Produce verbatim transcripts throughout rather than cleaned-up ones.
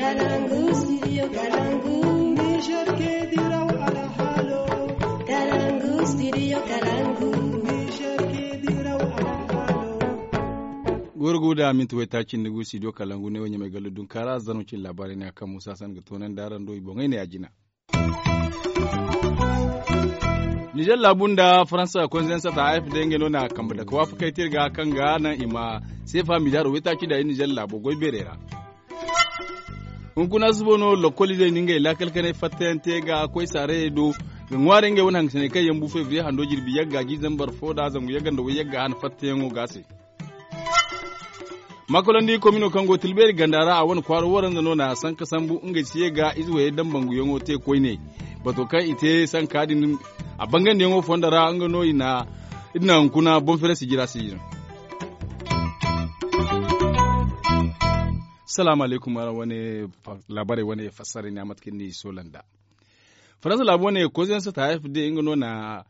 Gorgo da minti waytaaci nda gu studio kalangu ne wo ɲamay gallo dunkaara zanno cine laabaarey ne a kaŋ muusa san ga toonandi araŋ do i boŋey ne a jina. Nizer laabu nda faransa konzensata a f d ngey no na kambe dake waafakey te iri ga kaŋ ga naŋ i ma seefa miliyaaro waytaaci nda iri nizer laabo goy beerey ra. Hunkuna suba no lokoliizey na ngey laakal kanay fattayaŋ te ga koy saarayey do ga ŋwaaray ngey wane hangasiney kaŋ yaŋ bu febriye hando jirbi yagga jiizambar fo nda zangu yagga nda way yagga hana fattayaŋo ga se. Makolandi komino kaŋ go tilbeeri ganda ra a wane kwaaro waranza no na sanka sambu ngey si ye ga ize wayey dambanguyaŋo te koyne. Bato kaŋ i te sanka din a bangandiyaŋo fondo ra nga no i na hunkuna boŋ fere sijira sijira. Salaamu alaykum araŋ wane laabaarey wane fassara ne a mate kaŋ ni soola nda faransa laabu wane koziyaŋ sata f d nga no na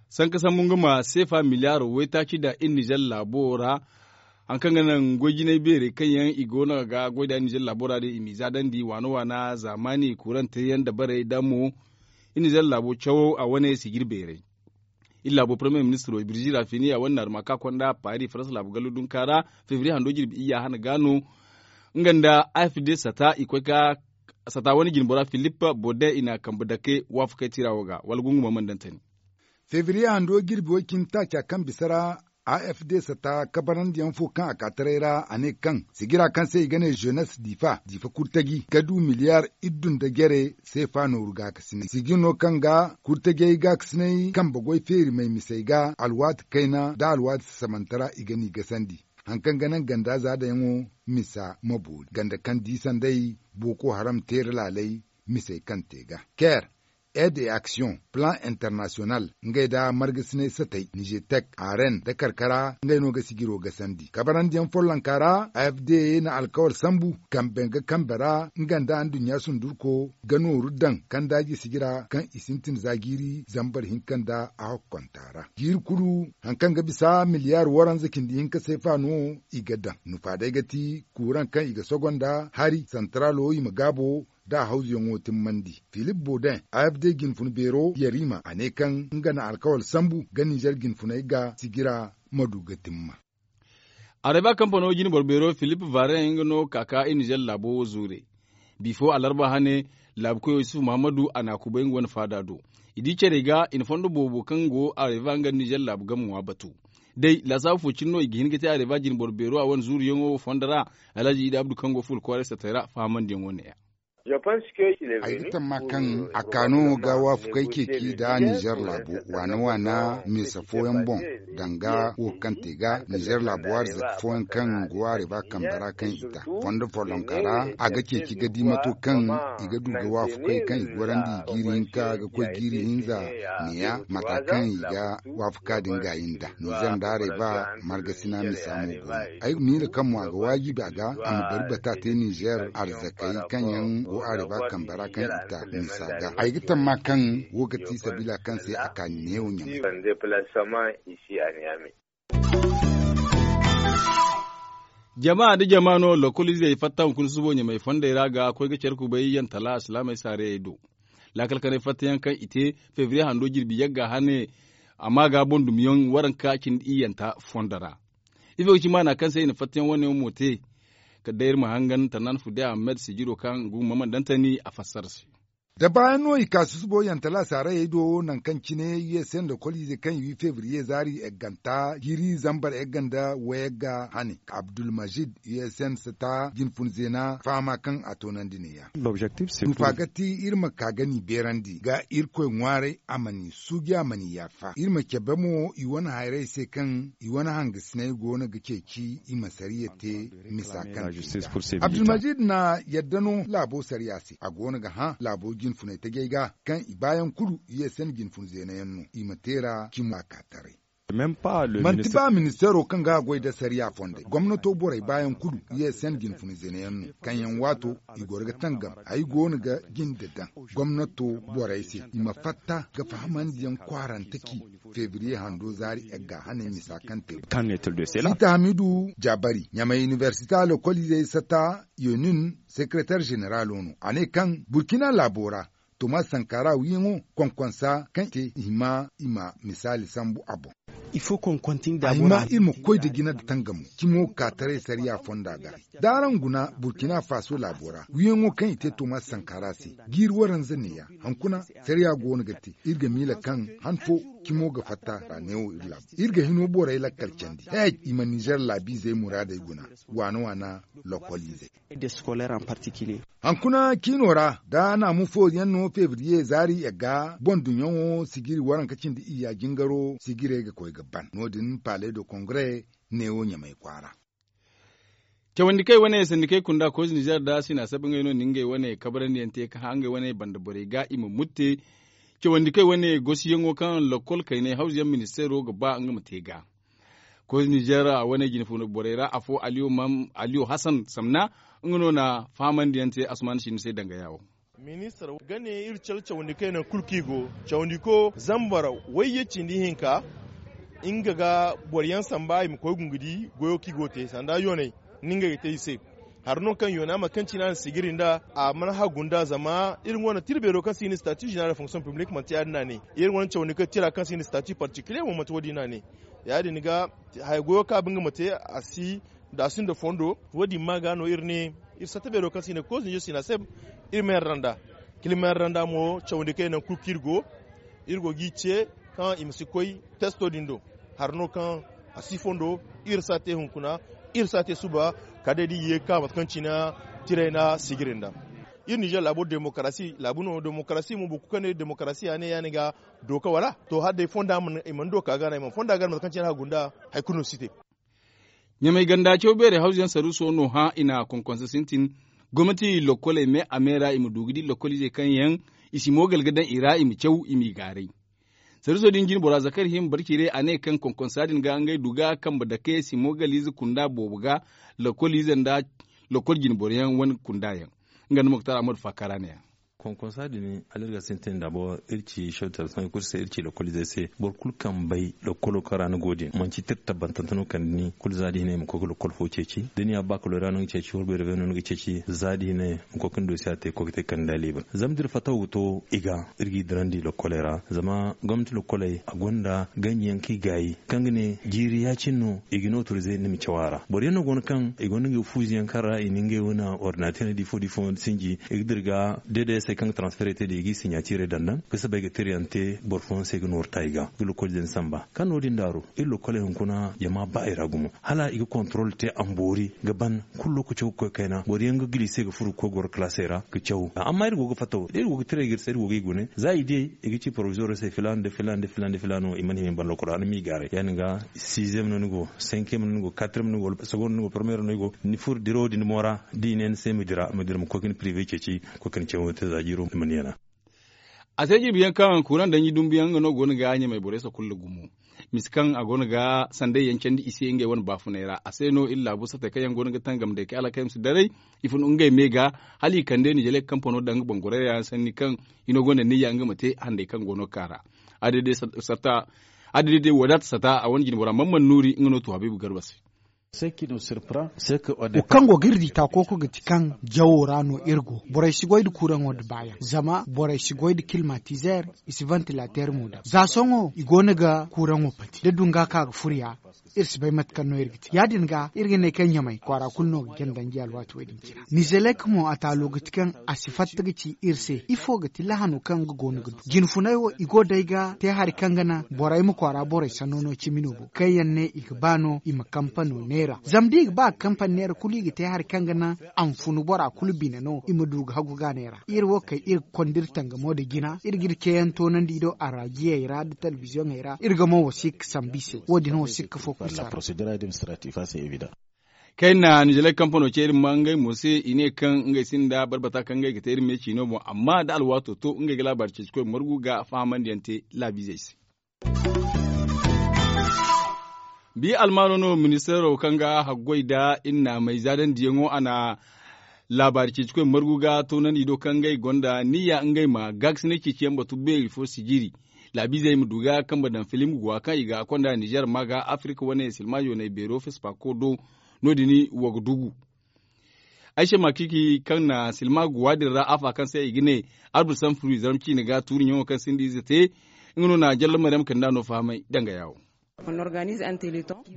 sanka sambu nga ma seefa miliyaaro waytaaci daŋ iri nizer laabo ra. Hari kaŋ ga naŋ goy jinay beerey kaŋ yaŋ i go no ga goy nd'a iri nizer laabo ra din i m'i zaadandi waana waana zaamaani kuurante yaŋ dabarey da mo iri nizer laabo cawo a wane sijir beerey. Iri laabo parmiye ministiro birzi rafini a wane naaruma kaŋ a konda paari faransa laabu gallo dunka ra febriye hando jirbi iyya hana ga no. Nga nda a f d sata i koy ka sata wane jinbora filip bodin i na kambe dake waafakey tira wo ga wala gunguma mandantani. Febriye hando jirbi way cindi taaca kaŋ bisa ra a f d sata kabarandiyaŋ fo kaŋ a ka taray ra a ne kaŋ sijira kaŋ se i ga ne zenes difa difa kurtaji ga du miliyar iddu nda jere seefa nooru gaakasinay sijir no kaŋ ga kurtajey gaakasinay kambe goy feeri may misey ga alwaati kayna nda alwaati sasamantara i ga n'i gasandi. Hari kaŋ ga naŋ ganda zaadayaŋo misa ma boori ganda kaŋ di sanday booko haram teera laalay misey kaŋ te ga ker ed e aksiyoŋ plan internasiyonal ngey nda margasinay satay nizetek aren nda karkara ngey no ga sijiro gasandi kabarandiyaŋ follonka ra a f d na alkawal sambu kambe ga kambe ra nga nda anduɲɲa sundurko ga nooru daŋ kaŋ daaji sijira kaŋ i sintin za jiiri zambar hinka nda a hokkonta ra jiiri kulu hari kaŋ ga bisa miliyar waranza cindi hinka seefa no i ga daŋ nufa day ga ti kuuraŋ kaŋ i ga sogo nda hari santaraalo i ma gaabo nda a hawzuyaŋo timmandi filip bodin a f d jinfun beero yarima a ne kaŋ nga na alkawal sambu ga nizer jinfuney ga sijira ma du ga timma. Areba kampano jine boro beero filip varen nga no ka ka iri nizer laabo wo zuure. Bifo alarba hane laabukoyo yusufu muhammadu a na a kubay nga wane faada do. I di care ga i na fondo boobo kaŋ go areba nga nda nizer laabu game ŋwa batu. Day laasaabu fo cine no i ga hin ga te areba jine boro beero a wane zuuruyaŋo wo fondo ra. Alhaji idi abdu kaŋ go fuula kwaaray satay ra fahamandiyaŋo ne ya. Ay ga tamma kaŋ a kaano ga waafakey ceeci nda nizer laabo waana waana misa fooyaŋ boŋ danga wo kaŋ te ga nizer laabo waari zaka fooyaŋ kaŋ go waari ba kambe ra kaŋ i ta fondo follonka ra a ga ceeci ga di mato kaŋ i ga du ga waafakey kaŋ i gorandi i jiiri hinka ga koy jiiri hinza neeya mata kaŋ i ga waafaka din gaayi nda nizer nda areba margasina misa mo go no. Ay ga miila kaŋ mo a ga waajibi a ga a ma bari bata te nizer arzakey kaŋ yaŋ go areba kambe ra kaŋ i ta misa ga ay ga tamma kaŋ wo ga ti sabiila kaŋ se a ka neewo ɲamay. Jama nda jama no lokoliizey fatta hunkuna subo ɲamay fondey ra ga koy ga care kubay yantala alsilaamey saarayey do. Laakal kanay fattayaŋ kaŋ i te febriye hando jirbi yagga hane amma ga boŋ dumiyaŋ waranka cindi iyyanta fondo ra. Ifo ga ci maana kaŋ se i na fattayaŋ wane yaŋ mo te? Kala day iri ma hangan tannan fude ahmed sijiro kaŋ gu mamandantani a fassara se. Da baayaŋ no i ka susubo yantala saarayey do nangu kaŋ cine u s n da koliize kaŋ i wi febriye zaari egganta jiiri zambar egga nda wayagga hane abdulmajid u s n sata jinfun zeena fahama kaŋ a toonandi neeya. Nufa ga ti iri ma ka ga ni beerandi ga irkoy ŋwaaray a ma ni suuji a ma ni yaafa iri ma cabe mo i wane hayray se kaŋ i wane hangasinay go no ga ceeci i ma sariya te. Misa kaŋ te ga abdulmajid na yadda no laabo sariya se a go no ga hã laabo jinfunay tajay ga kaŋ i baayaŋ kulu u s n jinfun zeena yaŋ no i ma teera cimo a ka taray. Manti ba ministeero kaŋ ga a goy nda sariya fondey gomnato borey baayaŋ kulu i ye sen jinfuna zene yaŋ no. Kaŋ yaŋ waato i goro ga tangam ay go no ga jinde daŋ. Gomnato borey se i ma fatta ga fahamandiyaŋ kwaarante ci febriye hando zaari egga haney misa kaŋ te. Siita hamidu jaabari ɲamay inibersite a lokoliizey sata yonin sekereter ženeralo no a ne kaŋ burkina laabo ra tomas sankara wiyaŋo konkonsa kaŋ i te i hima i ma misaali sambu a boŋ. A hima iri ma koy nda jina nda tangamo cimo ga ka taray sariya fonda ga. Da araŋ guna burkina faso laabo ra wiyaŋo kaŋ i te tomas sankara se jiiri waranza neeya. Hunkuna sariya go no ga te iri ga miila kaŋ han fo cimo ga fatta ra neewo iri laabo iri ga hino borey lakkal candi. Heej i ma nizer laabiizey muraadey guna waana waana lokoliizey. Hunkuna ciino ra da naamu fooyaŋ no febriye zaari yagga boŋ duɲɲaŋo sijiri waranka cindi iyya jingaro sijirey ga koy ga ban no- din palais de kongre neewo ɲamay kwaara. Cawandi kay wane sandi kay kunda koy nizer da sina sabi ngey no na ngey wane kabarandiyaŋ te ka hã ngey wane banda borey ga i ma mutte. Cawandi kay wane gosiyaŋo kaŋ lokol kaynay hawzuyaŋ ministeero ga ba nga ma te ga koy nizer a wane jinfuna borey ra afo aliyo hasan samna nga no na fahamandiyaŋ te asuman sini se danga yaawo. Ministar ga ne iri care cawandi kay naŋ kulu kaŋ i go cawandi ko zambar wayye cindi hinka nga ga boro yaŋ samba i ma koy gungudi goyo kaŋ i go ga te sanda yoonay ni ngey ga te i se. Hari no kaŋ yoona mate kaŋ cine a na sigiri nd'a a mana hagu nd'a zama iri wane tira beero kaŋ se i na stati zenera da fonksiyoŋ piblik manti ya- din no a ne. Iri wane cawandi kaŋ tira kaŋ se i na stati partikiliye mo manti wo- din no a ne. Ya- din ga haya goyo kaŋ a ba nga ma te a si da a sinda fondo wo- din ma ga no iri ne iri satta beero kaŋ se i ne koy zinjo sina se. Iri ma yarda nd'a kala i ma yarda nd'a mo cawandi kaŋ yaŋ naŋ kulu kaŋ iri go iri go g'i ce kaŋ i ma si koy testo din do. Hari no kaŋ a si fondo iri si a te hunkuna iri si a te suba kala day da i ye ga ka mate kaŋ cine tirey na sigiri nd'a. Iri ninzeer laabo demokarasi laabu no demokarasi mo boro kulu kaŋ ne demokarasi ya- ne ya- ne ga dooka wala to hala day fonda i mana dooka ga no i mana fonda ga no mate kaŋ cine a hagu nd'a hari kulu no si te. Ɲamay ganda caw beerey hawzuyaŋ saruuso no hã i na konkonsa sintin gomnati lokkoley me a me ra i ma du ga di lokkoliizey kaŋ yaŋ i si moogal ga daŋ i ra i ma caw i m'i gaaray. Saruuso din jinbora zakari hima barciray a ne kaŋ konkonsa din ga ngey du ga kambe dake si moogaliize kunda boobo ga lokkoliize nda lokkol jinboro yaŋ wane kunda yaŋ. Nga nda moktar ahmadu faakara ne- ya. Konkonsa din hala iri ga sintin da boro iri ci shawtar sanka kulu se iri ci lokkoliizey se boro kulu kaŋ bay lokkolo kaŋ ra ni go din manci tir tabbantante no kande ni kulu za da hinay ma koy ga lokkol fo ceeci da ni ya ba ka loyra no ni ga ceeci wala beere beere no ni ga ceeci za da hinay ma koy ga ni doosiya te ga koy ga te kande da liibar zama da iri fatta wo ga to i ga iri g'i dirandi lokkoley ra zama gomnati lokkoley a gonda ganji yaŋ kaŋ i gaayi kaŋ ga ne jiiri ya- cine no i ga ni otorize ni ma caw a ra boro yaŋ no go no kaŋ i gonda ngey fuuzi yaŋ kaŋ ra i na ngey wane ordinateer di fo di fo sinji i ga dira ga deedayasey kaŋ ga transferey te da i g'i siɲaatiirey daŋ daŋ ga soobay ga tirayaŋ te boro fooyaŋ se ga nooru ta i ga ga lokkoliizey din samba kaŋ no- din daaru iri lokkoley hunkuna jama ba i ra gumo hala i ga kontorol te a ma boori ga ban kulu lokaco ga koy kayna boro yaŋ ga gilise ga furo ga koy goro kalaasey ra ga caw amma iri go ga fatta wo da iri go ga tiray ga iri se iri go ga i gune za i di i ga ci porovizooro se filaana nda filaana nda filaana nda filaana no i mana hima i ma ban lokol ra ni m'i gaaray ya- din ga siizem no ni go senkiyem no ni go katriyem no ni go wala segonda no ni go poromiyero no ni go ni furo dirawo din mo ra da i ne ni se ma dira ma dira ma koy ga ni pirive ceeci ga koy ga ni cawo te za jiiro ni mana yana. A se jirbi yaŋ kaŋ kuuraŋ danji dumbu yaŋ nga no go no ga ɲamay borey sakulla gumo misa kaŋ a go no ga sanday yaŋ candi i se ngey wane baafunay ra a se no iri laabu satey kaŋ yaŋ go no ga tangam day kaŋ alakay ma si daray i fun ngey me ga hala i kande nizeer kampano daŋ nga boŋ gorey ra yaŋ sanni kaŋ hino gonda niyya nga ma te handay kaŋ go no ga ka ra. Adday day wadaata sata a wane jinbora man man nuuri nga no tu habiibu garba se. Wo kaŋ go ga iri di taako kulu ga ti kaŋ jawo ra no iri go borey si goy nda kuuraŋo nda baayaŋ zama borey si goy nda kilmatizeer i si vantilateer mo daŋ za sohõ i go no ga kuuraŋo pati da dunga ka ga furo ya iri si bay mate kaŋ no iri ga te ya- din ga iri ga ne kaŋ ɲamay kwaara kulu no ga janda ngi alwaati wo- din cine. Nizelek mo a taalo ga ti kaŋ a si fatta ga ci iri se ifo ga ti lahano kaŋ nga go no ga du jinfunay wo i go day ga te hari kaŋ ga naŋ borey ma kwaara borey sanno no cimi no boŋ kaŋ yaŋ ne i ga ba no i ma kampano neera zama da i ga ba ga kampano neera kulu i ga te hari kaŋ ga naŋ a ma funu bora kulu bine no i ma du ga hagu ga neera iri wo kay iri ga konda iri tangamo nda jina iri ga iri ceeyaŋ toonandi i do araajiyey ra nda telebiziyoŋey ra iri ga mo wasiika sambu i se wo- din wasiika fo kulu si a ra. Kayna nizeer kampano ce iri ma ngey mo se i ne kaŋ ngey sinda barbata kaŋ ngey ga te iri me ciino boŋ amma da alwaato to ngey ga laabaari ceeci koy margu ga fahamandiyaŋ te laabiizey se. Bi almaano no ministeero kaŋ ga haggoy nda iri naamey zaadandiyaŋo a na laabaari ceecikoy margu ga toonandi do kaŋ ngey gonda niyya ngey ma gaakasinay ceeciyaŋ batu beeri fo sijiri laabiizey ma du ga kambe daŋ filim guwa kaŋ i ga konda nizer ma ga afirka wane silma yoonay beero fespaako do. No- din wa ga dugu ayse makiki kaŋ na silma guwa din ra afa kaŋ se i ga ne arbur sanfuri zarma ciine ga tuuriyaŋo kaŋ sinda ize te. Nga no na jallo maryam kanda no fahamay danga yaawo.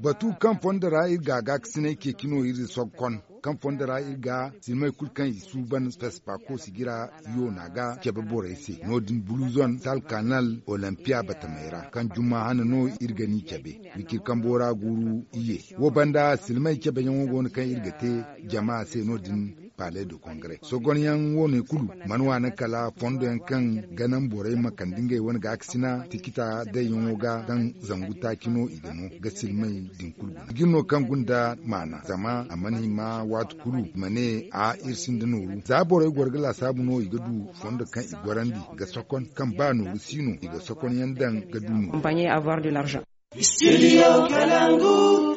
Batu kaŋ fondo ra iri ga gaakasinay ceeci no iri sohõ kaŋ fondo ra iri ga silmey kulu kaŋ i suuban fespaako sijira yoona ga cabe borey se no- din buluzon talkanal olimpiya batamey ra kaŋ jumma hane no iri ga ni cabe. Wiciri kambo ra guuru iyye wo banda silmey cabeyaŋo go no kaŋ iri ga te jama se no- din. Palais de congrès sogonyaŋ wo- ne kulu mana waani kala fondo yaŋ kaŋ ga naŋ borey ma kande ngey wane gaakasina tikita dayyaŋo ga kaŋ zangu taaci no i ga no ga silmey din kulu guna i ga iri no kaŋ gunda maana zama a mana hima waati kulu i ma ne a iri sinda nooru za borey goro ga laasaabu no i ga du fondo kaŋ i gorandi ga sokon kaŋ ba nooru si no i ga sokon yaŋ daŋ ga du nooru.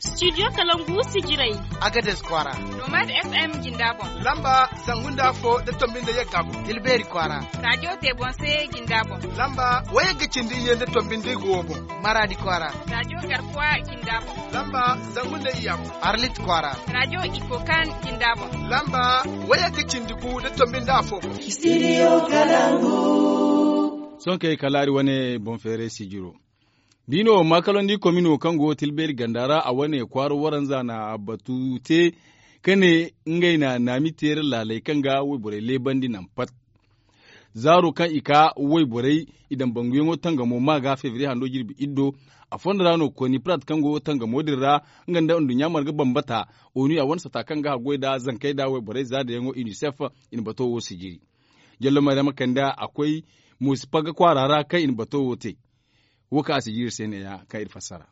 Studio kalangu sijirey. Agades kwaara. Nomad fm jinda boŋ. Lamba zangu nda afo nda tombi nda yagga boŋ tilbeeri kwaara. Raajo te boŋ se jinda boŋ. Lamba wayagga cindi iyye nda tombi nda igo boŋ. Maraadi kwaara. Raajo garkuwa jinda boŋ. Lamba zangu nda iyya boŋ. Arlit kwaara. Raajo ikokan jinda boŋ. Lamba wayagga cindi gu nda tombi nda afo boŋ. Sohõ kay kala hari wane boŋ feeray sijiro. Biino maakalandi komino kaŋ go tilbeeri ganda ra a wane kwaara waranza na batu te ka ne ngey na naami teera laaley kaŋ ga wayborey leebandi naŋ pat. Zaaro kaŋ i ka wayborey i daŋ banguyaŋo tangamo ma ga febriye hando jirbi iddo. A fondo ra no koni prat kaŋ go tangamo din ra nga nda nduɲɲa marga bambata onu a wane sata kaŋ ga haggoy nda zankey nda wayborey zaadayaŋo unicef i na bato wo sijiri. Jallo maryama kanda a koy musipaga kwaara ra kaŋ i na bato wo te. Wo kaŋ a si jiiri se neeya kaŋ iri fassara.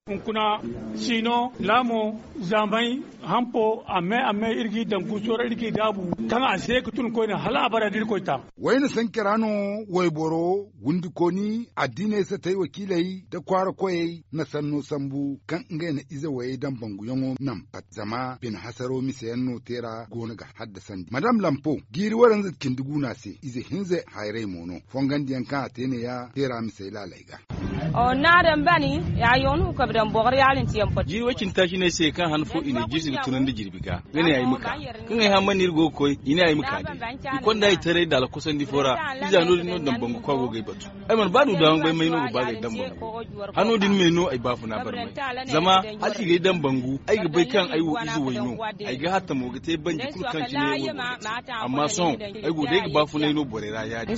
Hunkuna siino laamo zaamay hampo amme amme iri g'i daŋ guuso ra iri g'i daabu kaŋ a se ga tun koyne hala abada da iri koy ta. Wayna sanke ra no wayboro wundikooni addiiney satey wakiiley nda kwaara koyey na sanno sambu kaŋ ngey na ize wayey daŋ banguyaŋo naŋ pat zama bine hasaro miseyaŋ no teera go no ga haddasandi madame lampo jiiri waranza cindi guuna se ize hinza hayray mo no fongandiyaŋ kaŋ a te neeya teera misey laaley ga. Jiiri way cindi taaci no ay se kaŋ han fo i na jirsi ga tunandi jirbi ga nga ne ay ma ka kaŋ ay hamman iri go ga koy i ne ay ma ka day. I konda ay taray daala kosandi fo ra iza no- din no dambangu kwa go ga ay batu. Ay mana ba du daama bay may no ga ba ga ay dambangu hano din me no ay baafuna barmay. Zama hala i ga ay dambangu ay ga bay kaŋ ay wo ize way no. Ay ga hattamo ga te banji kulu kaŋ cine ay wo go ga te. Amma sohõ ay go day ga baafunay no borey ra ya- din.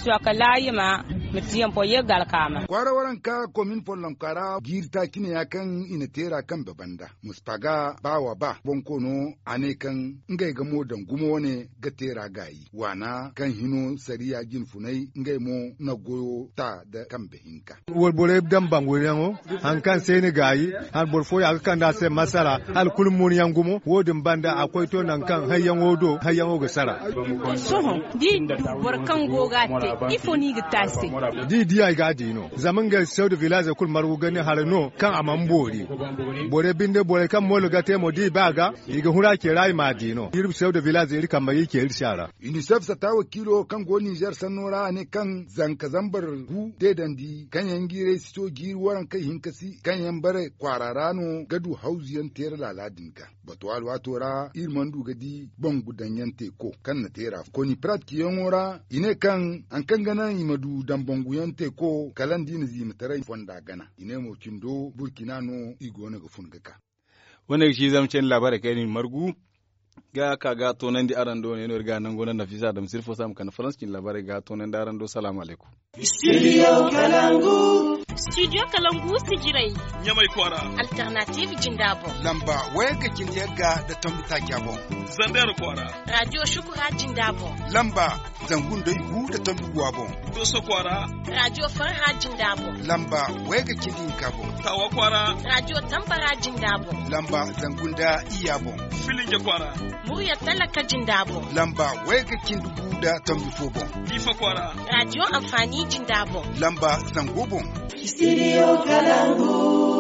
Kwaara waranka komin follonka ra jiiri taaci ne ya kaŋ i na teera kambe banda muspaga ba wa ba bonkoono a ne kaŋ ngey ga mo daŋ gumo wane ga teera gaayi waana kaŋ hino sariya jinfunay ngey mo na goyo ta nda kambe hinka. Wayborey daŋ banguyaŋo hari kaŋ se ni gaayi hari boro fooya ga kande a se masala hala kulu munyaŋ gumo wo- din banda a koy to nangu kaŋ hayyaŋo do hayyaŋo ga sara. Sohõ da i du boro kaŋ go ga a te ifo no i ga te a se? Da i di a i ga a di no zama ngey sew da vilaaze kulu margu ga ne haray no kaŋ a mana boori. Borey binde borey kaŋ moolo ga te mo da i ba ga i ga huru a ce ra i m'a di no iri sew da vilaaze iri kamba iri ce iri se a ra. Unicef sata wakiilo kaŋ go nizer sanno ra a ne kaŋ zanka zambar gu deedandi kaŋ yaŋ jiiray si to jiiri warankey hinka si kaŋ yaŋ bare kwaara ra no ga du hawzu yaŋ teera laala din ga. Bato alwaato ra iri mana du ga di bangu daŋ yaŋ teeko kaŋ na teera koni pratki yaŋo ra i ne kaŋ hari kaŋ ga naŋ i ma du daŋ bangu yaŋ teeko kala nda i na ziimataray fonda gana i ne mo cindo burkina no i go no ga fun ga ka. Wane ga ci zama candi laabaarey kaŋ iri na i margu ga ka ga toonandi araŋ do ne no iri ga nango naŋ nafisa adama sirfo se a ma kande farans cindi laabaarey ga toonandi araŋ do salaamu alaykum. Studio kalangu sijirey. Ɲamay kwaara. Alternative jinda boŋ. Lamba wayagga cindi yagga nda tombi taaca boŋ. Zander kwaara. Radio shukura jinda boŋ. Lamba zangu nda igu nda tombi guwa boŋ. Doso kwaara. Radio farha jinda boŋ. Lamba wayagga cindi hinka boŋ. Tawa kwaara. Radio tambara jinda boŋ. Lamba zangu nda iyya boŋ. Filinja kwaara. Murya talaka jinda boŋ. Lamba wayagga cindi gu nda tombi fo boŋ. Diifa kwaara. Radio amfani jinda boŋ. Lamba zango boŋ. Studio kalangu.